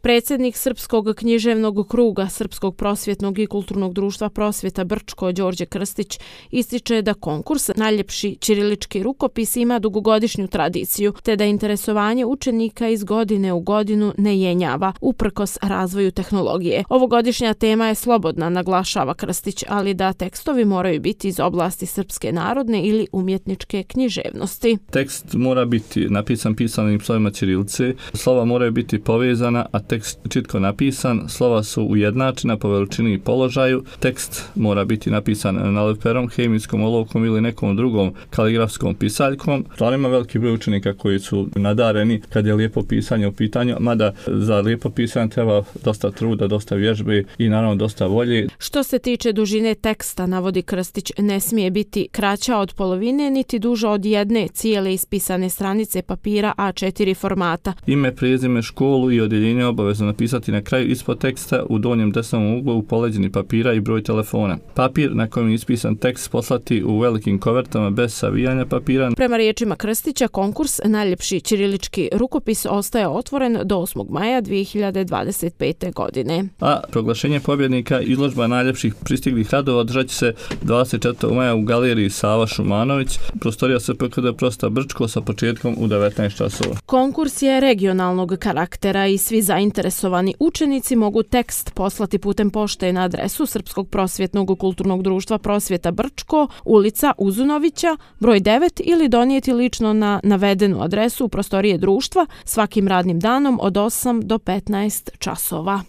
Predsjednik Srpskog književnog kruga Srpskog prosvjetnog i kulturnog društva Prosvjeta Brčko Đorđe Krstić ističe da konkurs Najljepši ćirilički rukopis ima dugogodišnju tradiciju, te da interesovanje učenika iz godine u godinu ne jenjava, uprkos razvoju tehnologije. Ovogodišnja tema je slobodna, naglašava Krstić, ali da tekstovi moraju biti iz oblasti srpske narodne ili umjetničke književnosti. Tekst mora biti napisan pisanim slovima ćirilice, slova moraju biti povezana, a tekst čitko napisan, slova su ujednačena po veličini i položaju, tekst mora biti napisan naleperom, hemijskom olovkom ili nekom drugom kaligrafskom pisaljkom. Stvarno ima veliki broj učenika koji su nadareni kad je lijepo pisanje u pitanju, mada za lijepo pisanje treba dosta truda, dosta vježbe i naravno dosta volje. Što se tiče dužine teksta, navodi Krstić, ne smije biti kraća od polovine niti duža od jedne cijele ispisane stranice papira A4 formata. Ime, prezime, školu i odjeljenje obavezno napisati na kraju ispod teksta u donjem desnom uglu u poleđini papira i broj telefona. Papir na kojem je ispisan tekst poslati u velikim kovertama bez savijanja papira. Prema riječima Krstića, konkurs Najljepši ćirilički rukopis ostaje otvoren do 8. maja 2025. godine. A proglašenje pobjednika i izložba najljepših pristiglih radova održat će se 24. maja u galeriji Sava Šumanović, prostorija SPKD Prosvjeta Brčko sa početkom u 19 časova. Konkurs je regionalnog karaktera i svi zainteresovani učenici mogu tekst poslati putem pošte na adresu Srpskog prosvjetnog kulturnog društva Prosvjeta Brčko, ulica Uzunovića, broj 9 ili donijeti lično na navedenu adresu u prostorije društva svakim radnim danom od 8 do 15 časova.